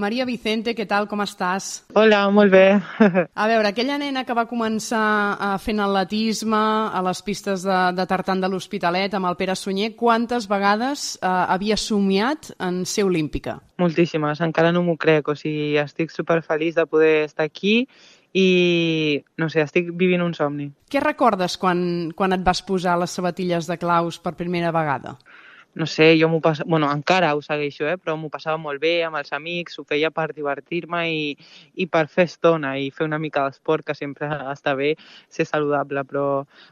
Maria Vicente, què tal, com estàs? Hola, molt bé. A veure, aquella nena que va començar fent atletisme a les pistes de tartan de l'Hospitalet amb el Pere Sunyer, quantes vegades havia somiat en ser olímpica? Moltíssimes, encara no m'ho crec, o sigui, estic superfeliç de poder estar aquí i, no sé, estic vivint un somni. Què recordes quan et vas posar les sabatilles de claus per primera vegada? No sé, jo m'ho passava... Bueno, encara ho segueixo, però m'ho passava molt bé amb els amics, ho feia per divertir-me i per fer estona i fer una mica d'esport, que sempre està bé ser saludable, però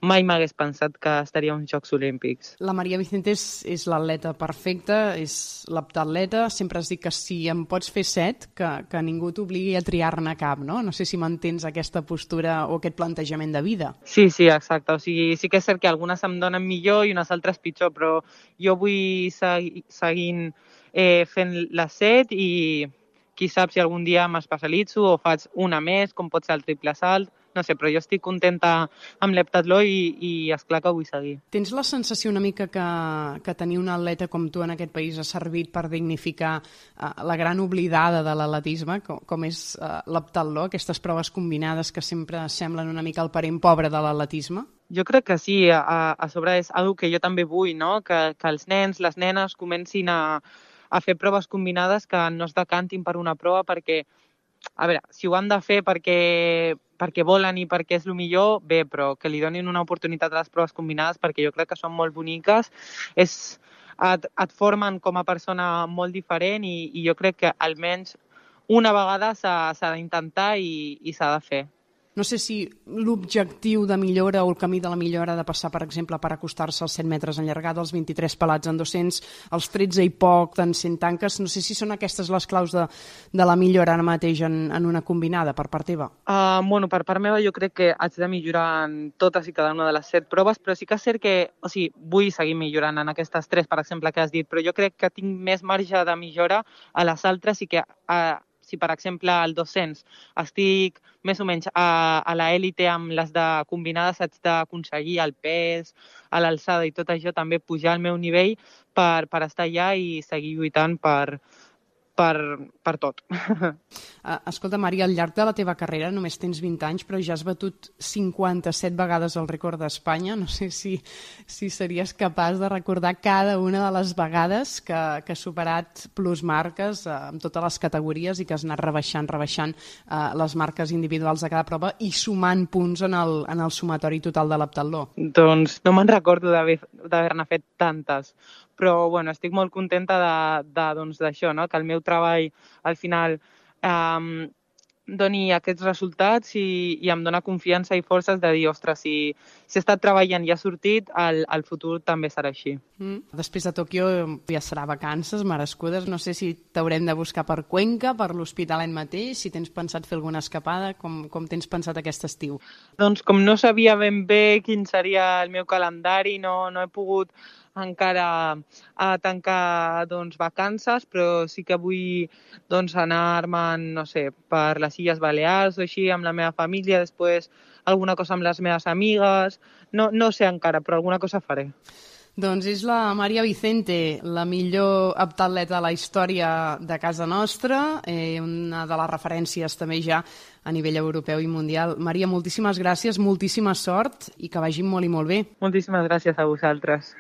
mai m'hagués pensat que estaria als Jocs Olímpics. La Maria Vicente és l'atleta perfecta, és l'heptatleta. Sempre has dit que si em pots fer 7, que ningú t'obligui a triar-ne cap, no? No sé si mantens aquesta postura o aquest plantejament de vida. Sí, exacte. O sigui, sí que és cert que algunes em donen millor i unes altres pitjor, però jo vull seguint fent les 7 i qui sap si algun dia m'especialitzo o faig una més, com pot ser el triple salt, no sé, però jo estic contenta amb l'heptatló i esclar que vull seguir. Tens la sensació una mica que tenir un atleta com tu en aquest país ha servit per dignificar la gran oblidada de l'atletisme, com és l'heptatló, aquestes proves combinades que sempre semblen una mica el parent pobre de l'atletisme? Jo crec que sí, a sobre és una que jo també vull, no? Que els nens, les nenes comencin a fer proves combinades, que no es decantin per una prova perquè, a veure, si ho han de fer perquè volen i perquè és el millor, bé, però que li donin una oportunitat a les proves combinades perquè jo crec que són molt boniques, et formen com a persona molt diferent i jo crec que almenys una vegada s'ha d'intentar i s'ha de fer. No sé si l'objectiu de millora o el camí de la millora ha de passar, per exemple, per acostar-se als 100 metres en llargada, als 23 pelats en 200, als 13 i poc en 100 tanques. No sé si són aquestes les claus de la millora ara mateix en una combinada, per part teva. Bueno, per part meva jo crec que haig de millorar en totes i cada una de les 7 proves, però sí que és cert que, o sigui, vull seguir millorant en aquestes 3, per exemple, que has dit, però jo crec que tinc més marge de millora a les altres i que si, per exemple, al 200 estic més o menys a l'élite amb les de combinades, haig d'aconseguir el pes, a l'alçada i tot això, també pujar al meu nivell per estar allà i seguir lluitant per tot. Escolta, Maria, al llarg de la teva carrera només tens 20 anys, però ja has batut 57 vegades el rècord d'Espanya. No sé si series capaç de recordar cada una de les vegades que has superat plus marques en totes les categories i que has anat rebaixant les marques individuals de cada prova i sumant punts en el sumatori total de l'heptatló. Doncs no me'n recordo d'haver-ne fet tantes, però bueno, estic molt contenta d'això, no? Que el meu treball al final doni aquests resultats i em dona confiança i forces de dir, ostres, si he estat treballant i ha sortit, el futur també serà així. Després de Tòquio ja serà vacances merescudes, no sé si t'haurem de buscar per Cuenca, per l'Hospitalet mateix, si tens pensat fer alguna escapada, com tens pensat aquest estiu? Doncs com no sabia ben bé quin seria el meu calendari, no he pogut encara a tancar vacances, però sí que vull anar-me'n, no sé, per les Illes Balears o així amb la meva família, després alguna cosa amb les meves amigues, no sé encara, però alguna cosa faré. Doncs és la Maria Vicente, la millor heptatleta de la història de casa nostra, una de les referències també ja a nivell europeu i mundial. Maria, moltíssimes gràcies, moltíssima sort i que vagi molt i molt bé. Moltíssimes gràcies a vosaltres.